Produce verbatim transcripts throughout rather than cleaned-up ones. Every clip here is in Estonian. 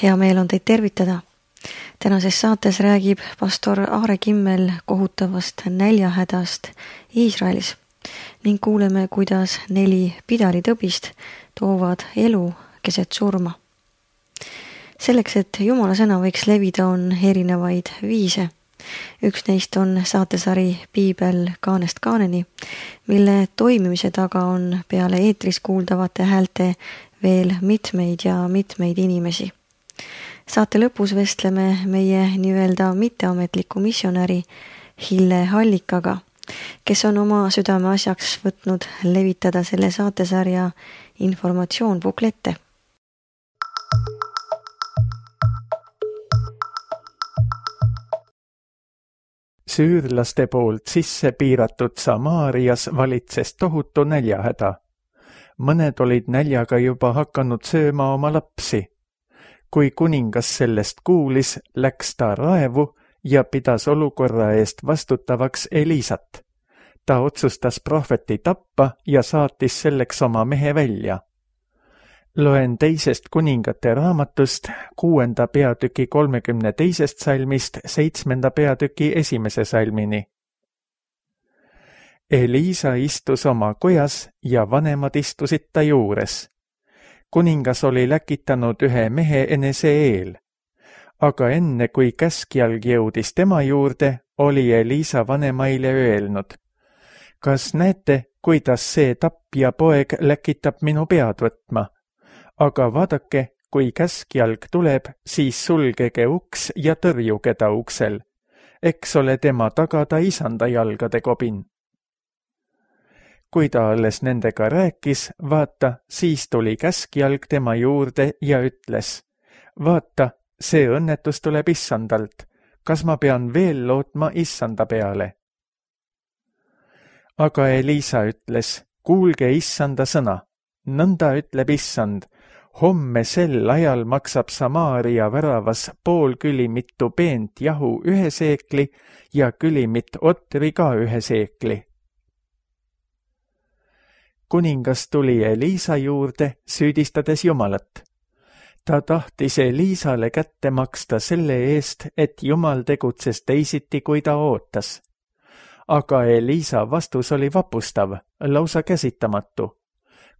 Hea meel on teid tervitada. Tänases saates räägib pastor Aare Kimmel kohutavast näljahädast Iisraelis ning kuuleme, kuidas neli pidalitõbist toovad elu keset surma. Selleks, et Jumala sõna võiks levida, on erinevaid viise. Üks neist on saatesari Piibel kaanest kaaneni, mille toimimise taga on peale eetris kuuldavate häälte veel mitmeid ja mitmeid inimesi. Saate lõpus vestleme meie nii-öelda mitteametliku missionäri Hille Hallikaga, kes on oma südame asjaks võtnud levitada selle saatesarja informatsioon buklette. Süürlaste poolt sisse piiratud Samaarias valitses tohutu näljahäda. Mõned olid näljaga juba hakanud sööma oma lapsi. Kui kuningas sellest kuulis, läks ta raevu ja pidas olukorra eest vastutavaks Elisat. Ta otsustas prohveti tappa ja saatis selleks oma mehe välja. Loen teisest kuningate raamatust kuuenda peatüki kolmekümne teisest salmist seitsmenda peatüki esimese salmini. Elisa istus oma kojas ja vanemad istusid ta juures. Kuningas oli läkitanud ühe mehe enese eel. Aga enne kui käskjalg jõudis tema juurde, oli Elisa vanemaile öelnud: kas näete, kuidas see tapja poeg läkitab minu pead võtma? Aga vaadake, kui käskjalg tuleb, siis sulgege uks ja tõrjuge ta uksel. Eks ole tema tagada isanda jalgade kobin. Kui ta alles nendega rääkis, vaata, siis tuli käskjalg tema juurde ja ütles: vaata, see õnnetus tuleb issandalt. Kas ma pean veel lootma issanda peale? Aga Elisa ütles: kuulge issanda sõna. Nõnda ütleb issand: homme sel ajal maksab Samaaria väravas pool külimitu peent jahu ühe seekli ja külimit otri ka ühe seekli. Kuningas tuli Elisa juurde, süüdistades Jumalat. Ta tahtis Elisale kätte maksta selle eest, et Jumal tegutses teisiti, kui ta ootas. Aga Elisa vastus oli vapustav, lausa käsitamatu.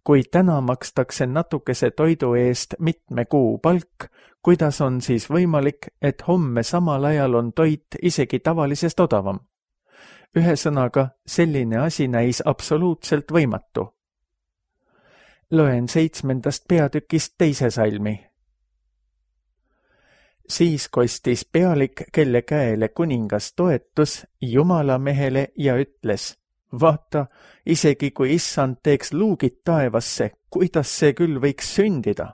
Kui täna makstakse natukese toidu eest mitme kuu palk, kuidas on siis võimalik, et homme samal ajal on toit isegi tavalisest odavam? Ühesõnaga, selline asi näis absoluutselt võimatu. Loen seitsmendast peatükist teise salmi. Siis kostis pealik, kelle käele kuningas toetus, Jumala mehele ja ütles: vaata, isegi kui issand teeks luugid taevasse, kuidas see küll võiks sündida?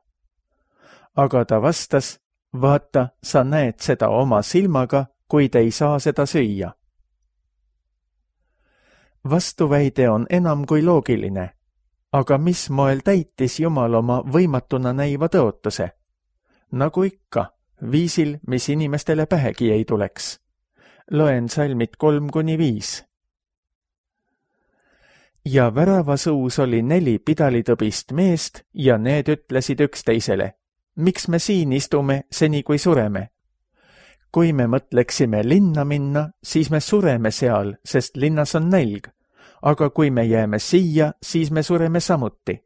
Aga ta vastas: vaata, sa näed seda oma silmaga, kuid ei saa seda süüa. Vastuväide on enam kui loogiline. Aga mis moel täitis Jumal oma võimatuna näiva tõotuse? Nagu ikka, viisil, mis inimestele pähegi ei tuleks. Loen salmid kolm kuni viis. Ja väravasuus oli neli pidalitõbist meest ja need ütlesid üksteisele: miks me siin istume seni kui sureme? Kui me mõtleksime linna minna, siis me sureme seal, sest linnas on nälg. Aga kui me jääme siia, siis me sureme samuti.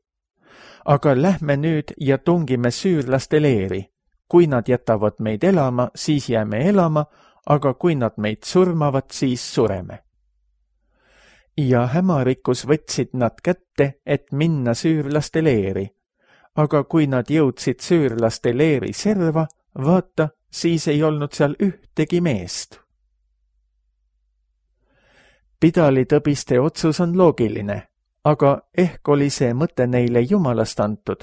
Aga lähme nüüd ja tungime süürlaste leeri. Kui nad jätavad meid elama, siis jääme elama, aga kui nad meid surmavad, siis sureme. Ja hämarikus võtsid nad kätte, et minna süürlaste leeri. Aga kui nad jõudsid süürlaste leeri serva, vaata, siis ei olnud seal ühtegi meest. Pidalitõbiste otsus on loogiline, aga ehk oli see mõte neile Jumalast antud.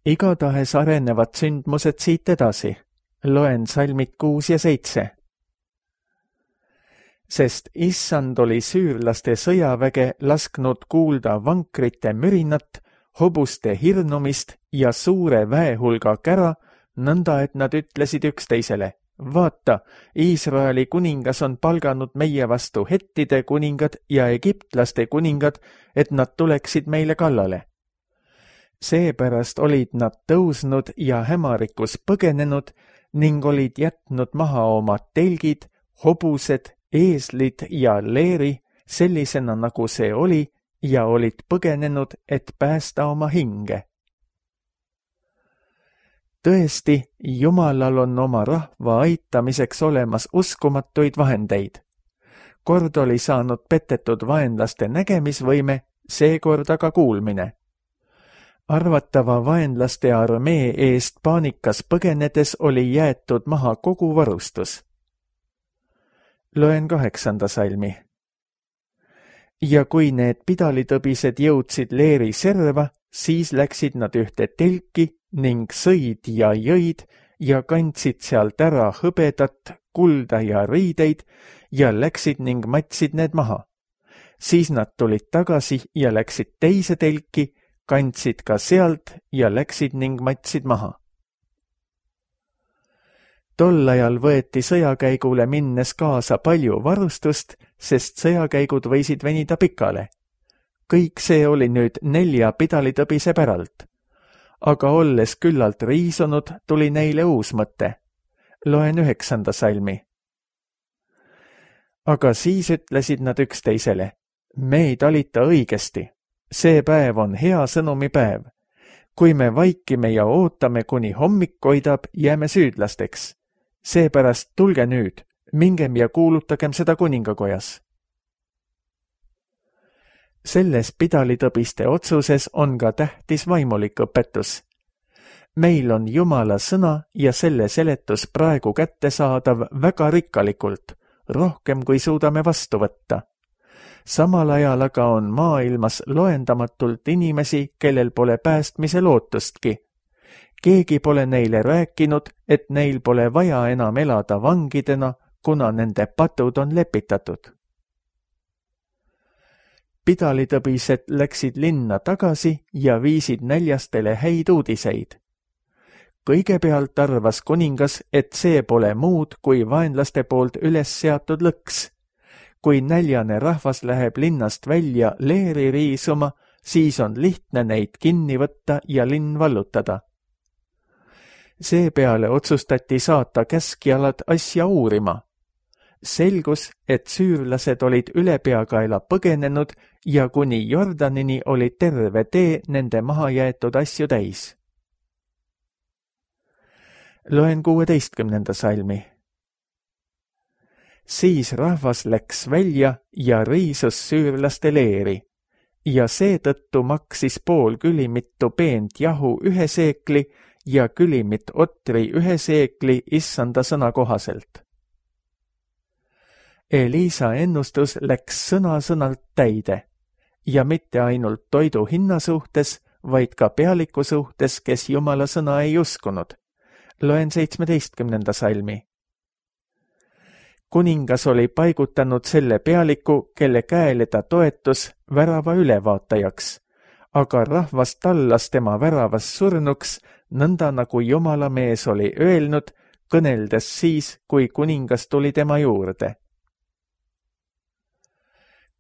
Igatahes arenevad sündmused siit edasi. Loen salmid kuus ja seitse. Sest issand oli süürlaste sõjaväge lasknud kuulda vankrite mürinat, hobuste hirnumist ja suure väehulga kära, nõnda et nad ütlesid üksteisele: vaata, Iisraeli kuningas on palganud meie vastu hettide kuningad ja egiptlaste kuningad, et nad tuleksid meile kallale. Seepärast olid nad tõusnud ja hämarikus põgenenud ning olid jätnud maha oma telgid, hobused, eeslid ja leeri sellisena, nagu see oli, ja olid põgenenud, et päästa oma hinge. Tõesti, Jumalal on oma rahva aitamiseks olemas uskumatuid vahendeid. Kord oli saanud petetud vaenlaste nägemisvõime, seekord aga kuulmine. Arvatava vaenlaste armee eest paanikas põgenedes oli jäetud maha kogu varustus. Loen kaheksanda salmi. Ja kui need pidalitõbised jõudsid leeri serva, siis läksid nad ühte telki ning sõid ja jõid ja kandsid sealt ära hõbedat, kulda ja riideid ja läksid ning matsid need maha. Siis nad tulid tagasi ja läksid teise telki, kandsid ka sealt ja läksid ning matsid maha. Tol ajal võeti sõjakäigule minnes kaasa palju varustust, sest sõjakäigud võisid venida pikale. Kõik see oli nüüd nelja pidalitõbise päralt. Aga olles küllalt riisunud, tuli neile uus mõte. Loen üheksanda salmi. Aga siis ütlesid nad üksteisele, me ei talita õigesti. See päev on hea sõnumipäev. Kui me vaikime ja ootame, kuni hommik koidab, jääme süüdlasteks. Seepärast tulge nüüd, mingem ja kuulutagem seda kuningakojas. Selles pidalitõbiste otsuses on ka tähtis vaimulik õpetus. Meil on Jumala sõna ja selle seletus praegu kättesaadav väga rikkalikult, rohkem kui suudame vastu võtta. Samal ajal aga on maailmas loendamatult inimesi, kellel pole päästmise lootustki. Keegi pole neile rääkinud, et neil pole vaja enam elada vangidena, kuna nende patud on lepitatud. Pidalitõbised läksid linna tagasi ja viisid näljastele häid uudiseid. Kõigepealt arvas kuningas, et see pole muud kui vaenlaste poolt üles seatud lõks. Kui näljane rahvas läheb linnast välja leeri riisuma, siis on lihtne neid kinni võtta ja linn vallutada. Seepeale otsustati saata käskjalad asja uurima. Selgus, et süürlased olid üle peakaela põgenenud ja kuni Jordanini oli terve tee nende maha jäetud asju täis. Loen kuueteistkümnenda salmi. Siis rahvas läks välja ja riisus süürlaste leeri ja seetõttu maksis pool külimittu peent jahu ühe seekli ja külimit otri ühe seekli issanda sõna kohaselt. Elisa ennustus läks sõna-sõnalt täide ja mitte ainult toidu hinna suhtes, vaid ka pealiku suhtes, kes Jumala sõna ei uskunud. Loen seitsmeteistkümnenda salmi. Kuningas oli paigutanud selle pealiku, kelle käele ta toetus värava ülevaatajaks, aga rahvas tallas tema väravas surnuks, nõnda nagu Jumala mees oli öelnud, kõneldes siis, kui kuningas tuli tema juurde.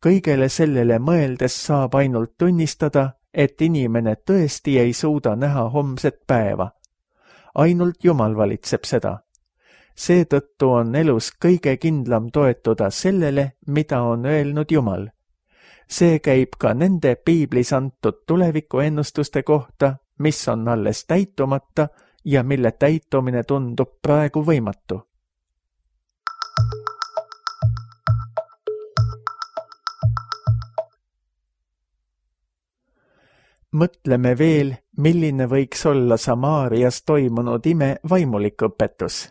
Kõigele sellele mõeldes saab ainult tunnistada, et inimene tõesti ei suuda näha homset päeva. Ainult Jumal valitseb seda. Seetõttu on elus kõige kindlam toetuda sellele, mida on öelnud Jumal. See käib ka nende piiblis antud tulevikuennustuste kohta, mis on alles täitumata ja mille täitumine tundub praegu võimatu. Mõtleme veel, milline võiks olla Samaarias toimunud ime vaimulik õpetus.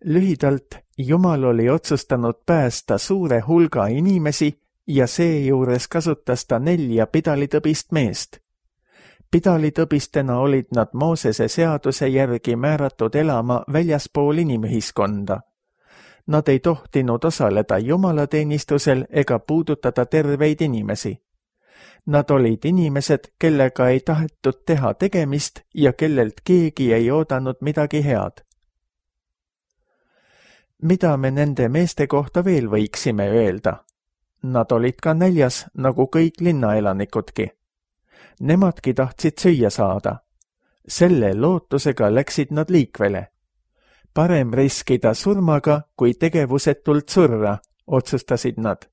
Lühidalt, Jumal oli otsustanud päästa suure hulga inimesi ja seejuures kasutas ta nelja pidalitõbist meest. Pidalitõbistena olid nad Moosese seaduse järgi määratud elama väljaspool inimühiskonda. Nad ei tohtinud osaleda jumalateenistusel ega puudutada terveid inimesi. Nad olid inimesed, kellega ei tahetud teha tegemist ja kellelt keegi ei oodanud midagi head. Mida me nende meeste kohta veel võiksime öelda? Nad olid ka näljas, nagu kõik linnaelanikudki. Nemadki tahtsid süüa saada. Selle lootusega läksid nad liikvele. Parem riskida surmaga, kui tegevusetult surra, otsustasid nad.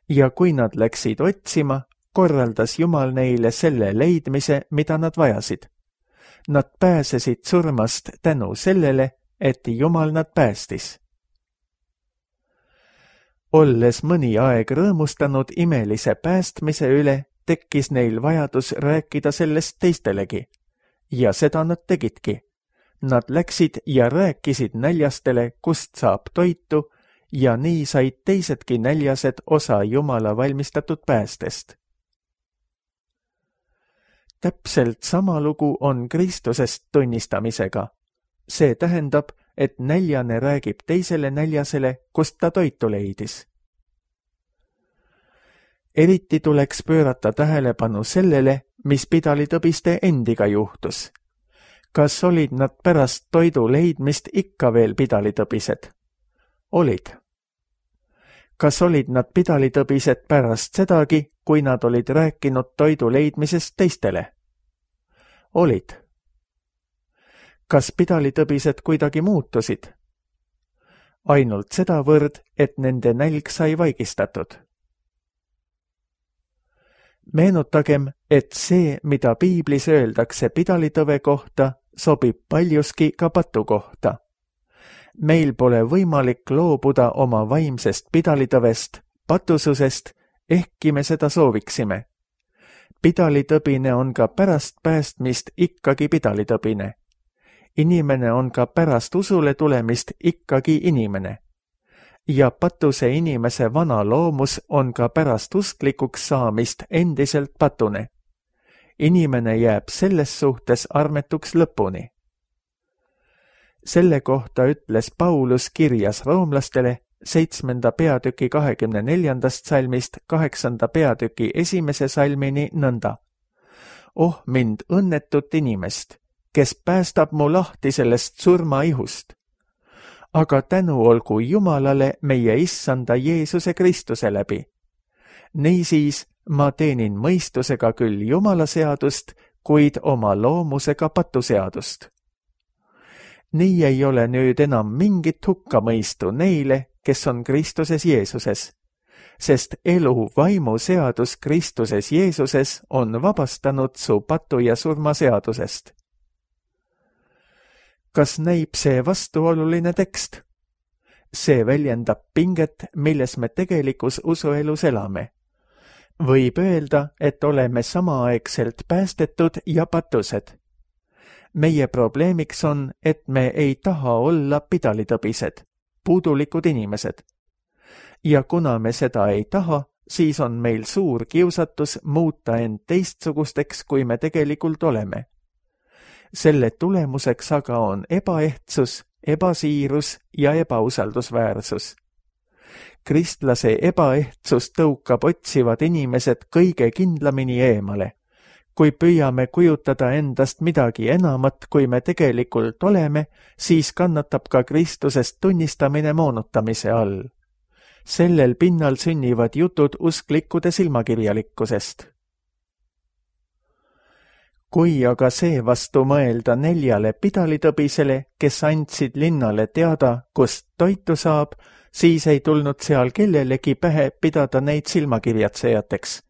Ja kui nad läksid otsima, korraldas Jumal neile selle leidmise, mida nad vajasid. Nad pääsesid surmast tänu sellele, et Jumal nad päästis. Olles mõni aeg rõõmustanud imelise päästmise üle, tekkis neil vajadus rääkida sellest teistelegi. Ja seda nad tegidki. Nad läksid ja rääkisid näljastele, kust saab toitu, ja nii said teisedki näljased osa Jumala valmistatud päästest. Täpselt sama lugu on Kristusest tunnistamisega. See tähendab, et näljane räägib teisele näljasele, kust ta toitu leidis. Eriti tuleks pöörata tähelepanu sellele, mis pidalitõbiste endiga juhtus. Kas olid nad pärast toidu leidmist ikka veel pidalitõbised? Olid. Kas olid nad pidalitõbised pärast sedagi, kui nad olid rääkinud toidu leidmisest teistele? Olid. Kas pidalitõbised kuidagi muutusid? Ainult sedavõrd, et nende nälg sai vaigistatud. Meenutagem, et see, mida piiblis öeldakse pidalitõve kohta, sobib paljuski ka patu kohta. Meil pole võimalik loobuda oma vaimsest pidalitõvest, patususest, ehkki me seda sooviksime. Pidalitõbine on ka pärast päästmist ikkagi pidalitõbine. Inimene on ka pärast usule tulemist ikkagi inimene. Ja patuse inimese vana loomus on ka pärast usklikuks saamist endiselt patune. Inimene jääb selles suhtes armetuks lõpuni. Selle kohta ütles Paulus kirjas roomlastele seitsmenda peatüki kahekümne neljandast salmist kaheksanda peatüki esimese salmini nõnda. Oh mind õnnetut inimest, kes päästab mu lahti sellest surmaihust. Aga tänu olgu Jumalale meie issanda Jeesuse Kristuse läbi. Niisiis ma teenin mõistusega küll Jumala seadust, kuid oma loomusega patuseadust. Nii ei ole nüüd enam mingit hukkamõistu neile, kes on Kristuses Jeesuses, sest elu vaimu seadus Kristuses Jeesuses on vabastanud su patu ja surma seadusest. Kas näib see vastuoluline tekst? See väljendab pinget, milles me tegelikus usuelus elame. Võib öelda, et oleme samaaegselt päästetud ja patused. Meie probleemiks on, et me ei taha olla pidalitõbised, puudulikud inimesed. Ja kuna me seda ei taha, siis on meil suur kiusatus muuta end teistsugusteks, kui me tegelikult oleme. Selle tulemuseks aga on ebaehtsus, ebasiirus ja ebausaldusväärsus. Kristlase ebaehtsus tõukab otsivad inimesed kõige kindlamini eemale. Kui püüame kujutada endast midagi enamat, kui me tegelikult oleme, siis kannatab ka Kristusest tunnistamine moonutamise all. Sellel pinnal sünnivad jutud usklikkude silmakirjalikkusest. Kui aga seevastu mõelda neljale pidalitõbisele, kes andsid linnale teada, kust toitu saab, siis ei tulnud seal kellelegi pähe pidada neid silmakirjatsejateks.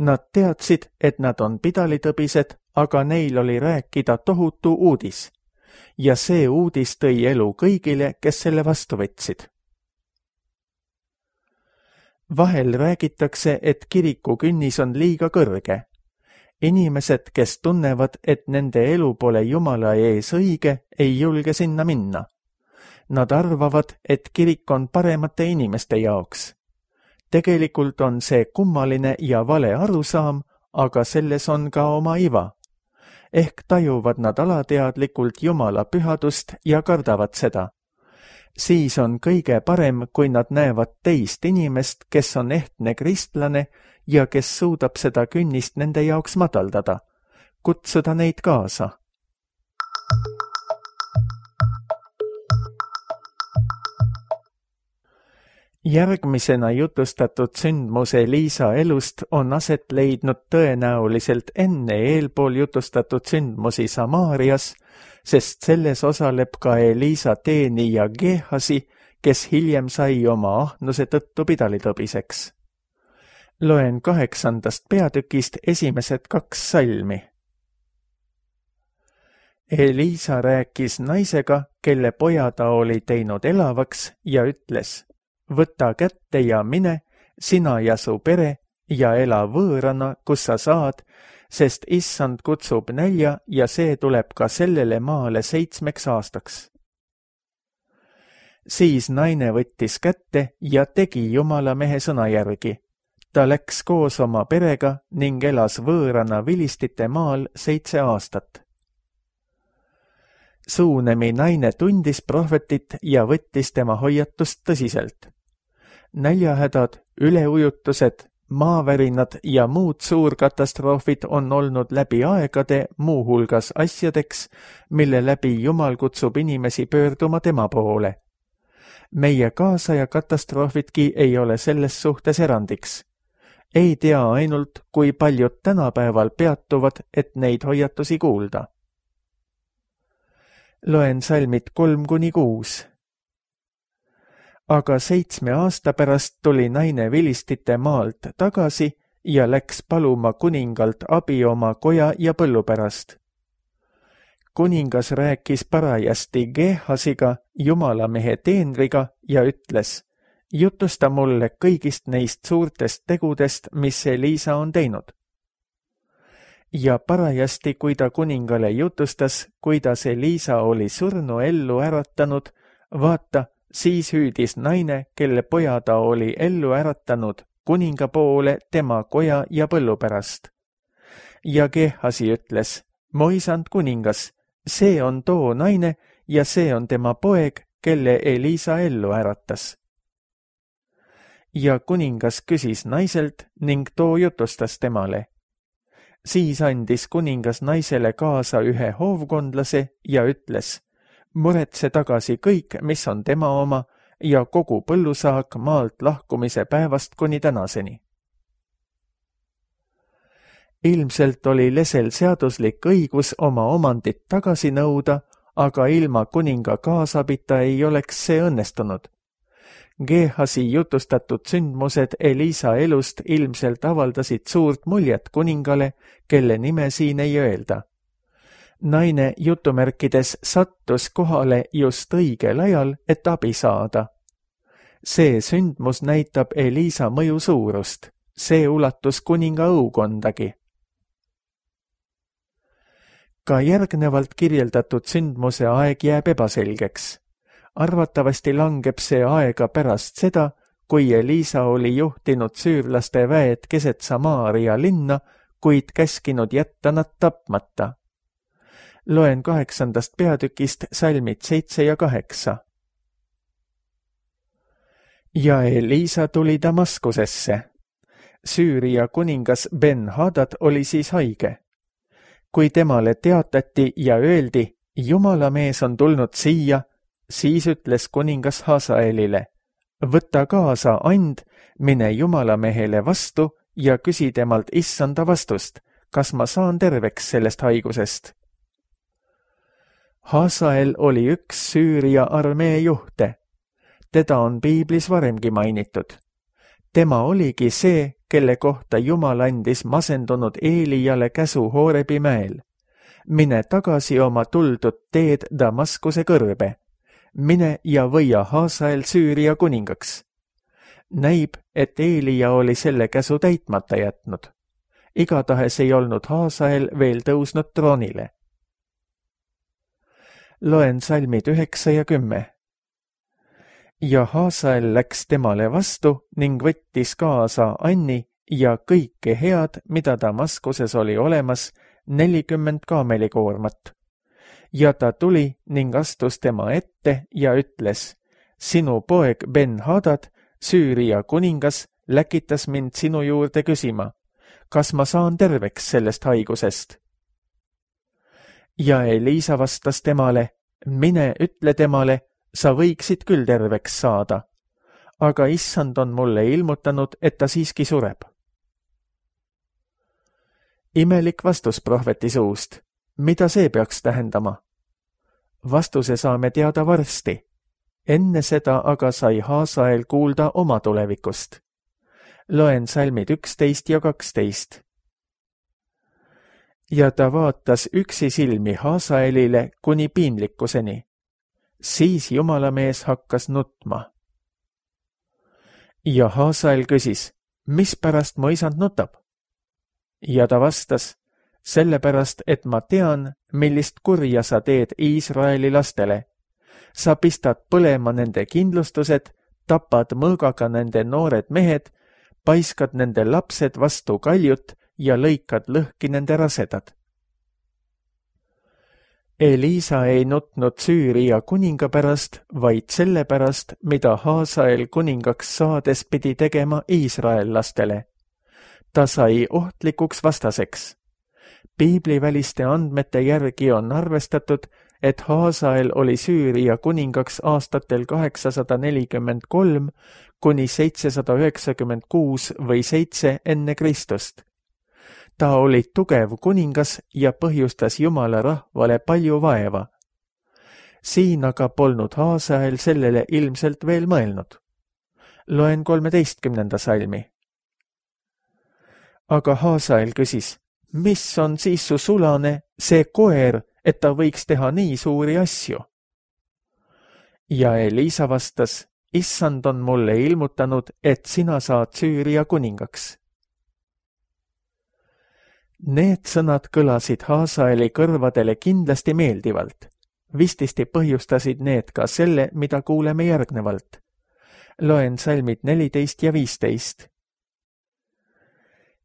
Nad teadsid, et nad on pidalitõbised, aga neil oli rääkida tohutu uudis. Ja see uudis tõi elu kõigile, kes selle vastu võtsid. Vahel räägitakse, et kiriku künnis on liiga kõrge. Inimesed, kes tunnevad, et nende elu pole Jumala ees õige, ei julge sinna minna. Nad arvavad, et kirik on paremate inimeste jaoks. Tegelikult on see kummaline ja vale arusaam, aga selles on ka oma iva. Ehk tajuvad nad alateadlikult Jumala pühadust ja kardavad seda. Siis on kõige parem, kui nad näevad teist inimest, kes on ehtne kristlane ja kes suudab seda künnist nende jaoks madaldada, kutsuda neid kaasa. Järgmisena jutustatud sündmus Eliisa elust on aset leidnud tõenäoliselt enne eelpool jutustatud sündmusi Samaarias, sest selles osaleb ka Eliisa teenija Geehasi, kes hiljem sai oma ahnuse tõttu pidalitõbiseks. Loen kaheksandast peatükist esimesed kaks salmi. Eliisa rääkis naisega, kelle poja ta oli teinud elavaks ja ütles: võta kätte ja mine, sina ja su pere, ja ela võõrana, kus sa saad, sest issand kutsub nälja ja see tuleb ka sellele maale seitsmeks aastaks. Siis naine võttis kätte ja tegi Jumala mehe sõna järgi. Ta läks koos oma perega ning elas võõrana Vilistite maal seitse aastat. Suunemi naine tundis prohvetit ja võttis tema hoiatust tõsiselt. Näljahädad, üleujutused, maavärinad ja muud suurkatastroofid on olnud läbi aegade muuhulgas asjadeks, mille läbi Jumal kutsub inimesi pöörduma tema poole. Meie kaasaja katastroofidki ei ole selles suhtes erandiks. Ei tea ainult, kui paljud tänapäeval peatuvad, et neid hoiatusi kuulda. Loen salmid kolm kuni kuus. Aga seitsme aasta pärast tuli naine Vilistite maalt tagasi ja läks paluma kuningalt abi oma koja ja põllu pärast. Kuningas rääkis parajasti Geehasiga, Jumala mehe teenriga, ja ütles: jutusta mulle kõigist neist suurtest tegudest, mis Eliisa on teinud. Ja parajasti, kui ta kuningale jutustas, kuidas Eliisa oli surnu ellu äratanud, vaata, siis hüüdis naine, kelle poja ta oli ellu äratanud, kuninga poole tema koja ja põllu pärast. Ja Geehasi ütles: mu isand kuningas, see on too naine ja see on tema poeg, kelle Eliisa ellu äratas. Ja kuningas küsis naiselt ning too jutustas temale. Siis andis kuningas naisele kaasa ühe hoovkondlase ja ütles: muretse tagasi kõik, mis on tema oma, ja kogu põllusaak maalt lahkumise päevast kuni tänaseni. Ilmselt oli lesel seaduslik õigus oma omandit tagasi nõuda, aga ilma kuninga kaasabita ei oleks see õnnestunud. Geehasi jutustatud sündmused Eliisa elust ilmselt avaldasid suurt muljet kuningale, kelle nime siin ei öelda. Naine jutumärkides sattus kohale just õigel ajal, et abi saada. See sündmus näitab Eliisa mõju suurust. See ulatus kuninga õukondagi. Ka järgnevalt kirjeldatud sündmuse aeg jääb ebaselgeks. Arvatavasti langeb see aega pärast seda, kui Eliisa oli juhtinud süürlaste väed keset Samaaria linna, kuid käskinud jätta nad tapmata. Loen kaheksandast peatükist salmid seitse ja kaheksa. Ja Eliisa tuli Damaskusesse. Süüria kuningas Ben-Hadad oli siis haige. Kui temale teatati ja öeldi, Jumala mees on tulnud siia, siis ütles kuningas Hasaelile: võta kaasa and, mine Jumala mehele vastu ja küsi temalt issanda vastust, kas ma saan terveks sellest haigusest. Hasael oli üks Süüria armee juhte. Teda on piiblis varemgi mainitud. Tema oligi see, kelle kohta Jumal andis masendunud Eelijale käsu Hoorebi mäel. Mine tagasi oma tuldud teed Damaskuse kõrbe. Mine ja võia Hasael Süüria kuningaks. Näib, et Eelija oli selle käsu täitmata jätnud. Igatahes ei olnud Hasael veel tõusnud troonile. Loen salmid üheksa ja kümme. Ja Hasael läks temale vastu ning võttis kaasa Anni ja kõike head, mida Damaskuses oli olemas, nelikümmend kaamelikoormat. Ja ta tuli ning astus tema ette ja ütles: sinu poeg Ben-Hadad, Süüria kuningas, läkitas mind sinu juurde küsima, kas ma saan terveks sellest haigusest. Ja Eliisa vastas temale: mine ütle temale, sa võiksid küll terveks saada. aga issand on mulle ilmutanud, et ta siiski sureb. Imelik vastus prohveti suust. Mida see peaks tähendama? Vastuse saame teada varsti. Enne seda aga sai Haasael kuulda oma tulevikust. Loen salmid üksteist ja kaksteist. Ja ta vaatas üksi silmi Haasaelile kuni piinlikkuseni. Siis jumalamees hakkas nutma. Ja Haasael küsis, mis pärast mu isand nutab? Ja ta vastas, sellepärast, et ma tean, millist kurja sa teed Iisraeli lastele. Sa pistad põlema nende kindlustused, tapad mõõgaga nende noored mehed, paiskad nende lapsed vastu kaljut ja lõikad lõhki nende rasedad. Eliisa ei nutnud Süüria kuninga pärast, vaid selle pärast, mida Haasael kuningaks saades pidi tegema Iisrael lastele. Ta sai ohtlikuks vastaseks. Piibliväliste andmete järgi on arvestatud, et Haasael oli Süüria kuningaks aastatel kaheksasada nelikümmend kolm kuni seitsesada üheksakümmend kuus või seitse enne Kristust. Ta oli tugev kuningas ja põhjustas Jumala rahvale palju vaeva. Siin aga polnud Haasael sellele ilmselt veel mõelnud. Loen kolmeteistkümnenda salmi. Aga Haasael küsis, mis on siis su sulane, see koer, et ta võiks teha nii suuri asju? Ja Eliisa vastas, issand on mulle ilmutanud, et sina saad Süüria kuningaks. Need sõnad kõlasid Haasaeli kõrvadele kindlasti meeldivalt. Vististi põhjustasid need ka selle, mida kuuleme järgnevalt. Loen salmid neliteist ja viisteist.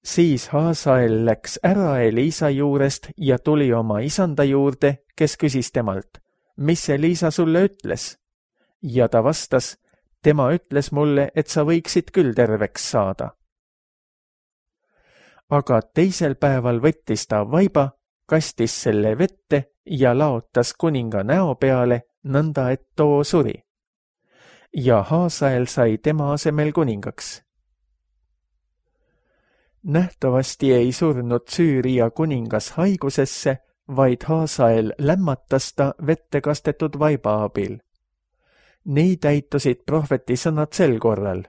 Siis Haasael läks ära Eliisa juurest ja tuli oma isanda juurde, kes küsis temalt, mis Eliisa sulle ütles? Ja ta vastas, tema ütles mulle, et sa võiksid küll terveks saada. Aga teisel päeval võttis ta vaiba, kastis selle vette ja laotas kuninga näo peale, nõnda et too suri. Ja Haasael sai tema asemel kuningaks. Nähtavasti ei surnud Süüria kuningas haigusesse, vaid Haasael lämmatas ta vette kastetud vaiba abil. Nii täitusid prohveti sõnad sel korral.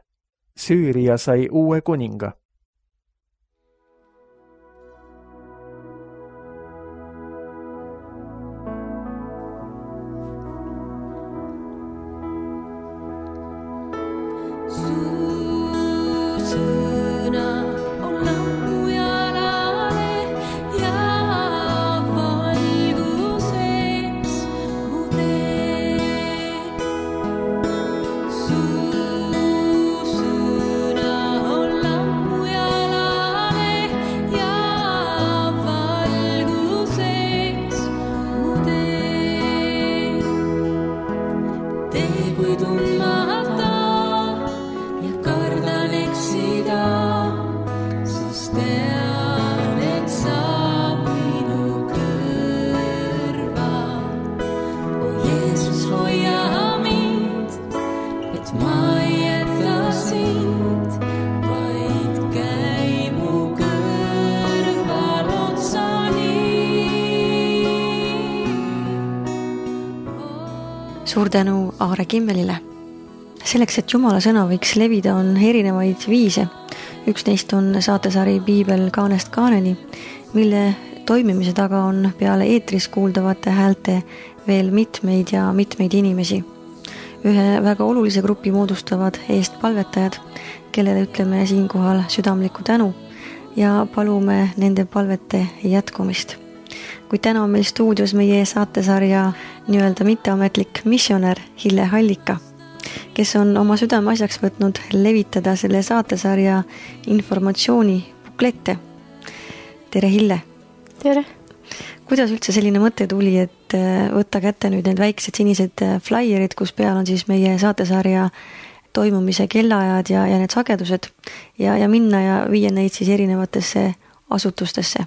Süüria sai uue kuninga. Suur tänu Aare Kimmelile. Selleks, et Jumala sõna võiks levida, on erinevaid viise. Üks neist on saatesari Piibel kaanest kaaneni, mille toimimise taga on peale eetris kuuldavate häälte veel mitmeid ja mitmeid inimesi. Ühe väga olulise grupi moodustavad eestpalvetajad, kellele ütleme siinkohal südamlikku tänu ja palume nende palvete jätkumist. Kuid täna on meil stuudios meie saatesarja nii-öelda mitteametlik missionär Hille Hallika, kes on oma südame asjaks võtnud levitada selle saatesarja informatsiooni buklette. Tere Hille! Tere! Kuidas üldse selline mõte tuli, et võtta kätte nüüd need väiksed sinised flaierid, kus peal on siis meie saatesarja toimumise kellaajad ja, ja need sagedused ja, ja minna ja viia neid siis erinevatesse asutustesse?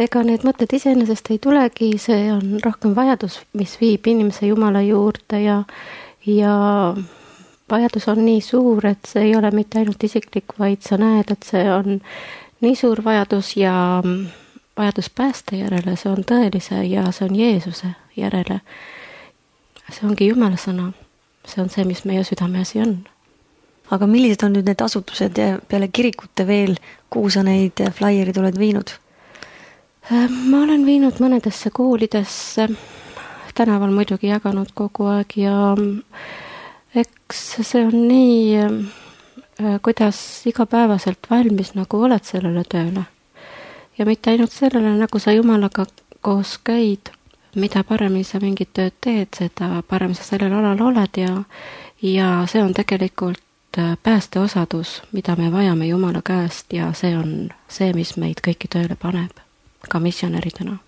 Ega need mõtted iseenesest ei tulegi, see on rohkem vajadus, mis viib inimese Jumala juurde ja, ja vajadus on nii suur, et see ei ole mitte ainult isiklik, vaid sa näed, et see on nii suur vajadus ja vajadus pääste järele, see on tõelise ja see on Jeesuse järele. See ongi Jumala sõna. See on see, mis meie südameasi on. Aga millised on nüüd need asutused ja peale kirikute veel, kuhu sa neid flaierid oled viinud? Ma olen viinud mõnedesse koolidesse, tänaval muidugi jaganud kogu aeg ja eks see on nii, kuidas igapäevaselt valmis nagu oled sellele tööle. Ja mitte ainult sellele, nagu sa Jumalaga koos käid, mida paremini sa mingit tööd teed, seda parem sa sellel alal oled ja, ja see on tegelikult päästeosadus, mida me vajame Jumala käest ja see on see, mis meid kõiki tööle paneb, ka missionäridena.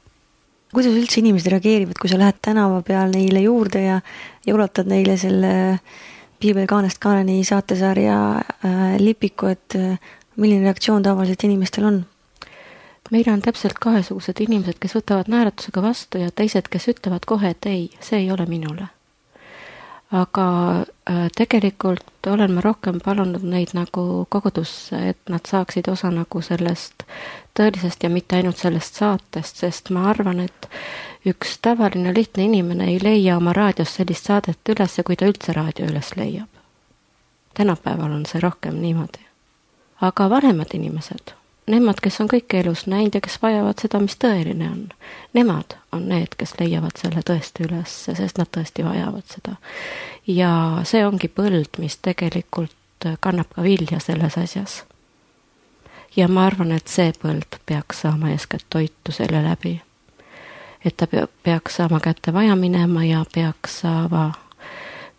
Kuidas üldse inimesed reageerivad, kui sa lähed tänava peal neile juurde ja, ja ulatad neile selle Piibel kaanest kaaneni saatesarja äh, lipiku, et äh, milline reaktsioon tavaliselt inimestel on? Meil on täpselt kahesugused inimesed, kes võtavad naeratusega vastu ja teised, kes ütlevad kohe, et ei, see ei ole minule. Aga äh, tegelikult olen ma rohkem palunud neid nagu kogudusse, et nad saaksid osa nagu sellest tõelisest ja mitte ainult sellest saatest, sest ma arvan, et üks tavaline lihtne inimene ei leia oma raadios sellist saadet üles, kui ta üldse raadio üles leiab. Tänapäeval on see rohkem niimoodi. Aga vanemad inimesed, nemad, kes on kõik elus näinud ja kes vajavad seda, mis tõeline on, nemad on need, kes leiavad selle tõesti üles, sest nad tõesti vajavad seda. Ja see ongi põld, mis tegelikult kannab ka vilja selles asjas. Ja ma arvan, et see põld peaks saama eeskätt toitu selle läbi. Et ta peaks saama kätte vaja minema ja peaks saama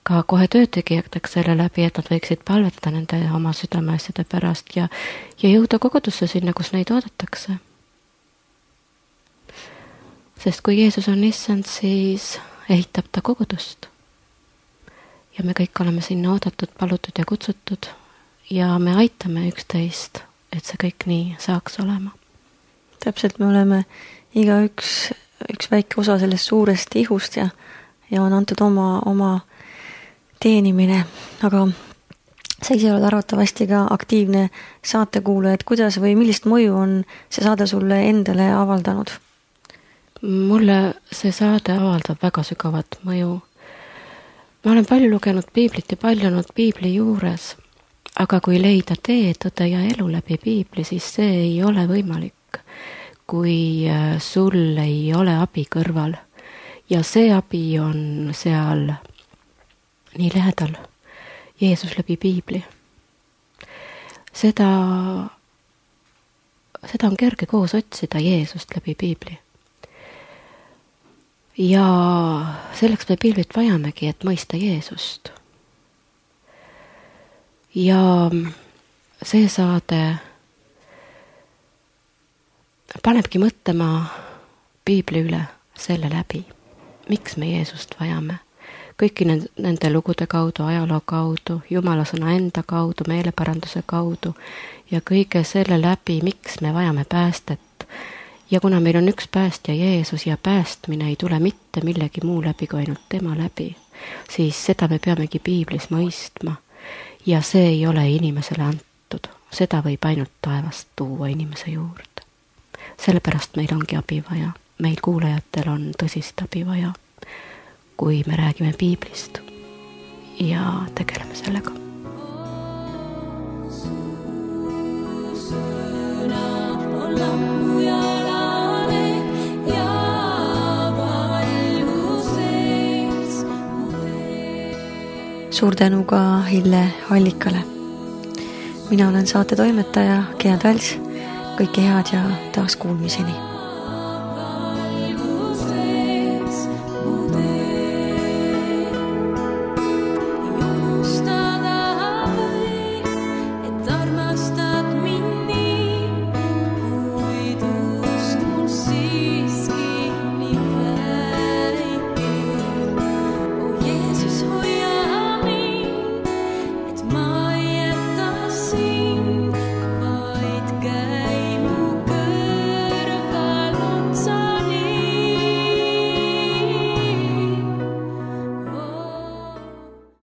ka kohe töötegijateks selle läbi, et nad võiksid palvetada nende oma südameasjade pärast ja, ja jõuda kogudusse sinna, kus neid oodatakse. Sest kui Jeesus on issand, siis ehitab ta kogudust. Ja me kõik oleme sinna oodatud, palutud ja kutsutud ja me aitame üksteist, et see kõik nii saaks olema. Täpselt, me oleme iga üks, üks väike osa sellest suurest ihust ja, ja on antud oma, oma teenimine, aga sa ise oled arvatavasti ka aktiivne saatekuulaja, et kuidas või millist mõju on see saade sulle endale avaldanud? Mulle see saade avaldab väga sügavat mõju. Ma olen palju lugenud piiblit ja palju olnud piibli juures, aga kui leida tee, tõde ja elu läbi piibli, siis see ei ole võimalik, kui sul ei ole abi kõrval. Ja see abi on seal nii lähedal, Jeesus läbi piibli. Seda, seda on kerge koos otsida Jeesust läbi piibli. Ja selleks me piiblit vajamegi, et mõista Jeesust. Ja see saade panebki mõtlema piibli üle selle läbi, miks me Jeesust vajame. Kõiki nende lugude kaudu, ajaloo kaudu, Jumala sõna enda kaudu, meeleparanduse kaudu ja kõige selle läbi, miks me vajame päästet. Ja kuna meil on üks päästja Jeesus ja päästmine ei tule mitte millegi muu läbi kui ainult tema läbi, siis seda me peamegi piiblis mõistma. Ja see ei ole inimesele antud. Seda võib ainult taevast tuua inimese juurde. Sellepärast meil ongi abi vaja. Meil kuulajatel on tõsist abi vaja, kui me räägime piiblist ja tegeleme sellega. Suur tänu ka Hille Allikale. Mina olen saate toimetaja Gea Täls. Kõike head ja taas kuulmiseni.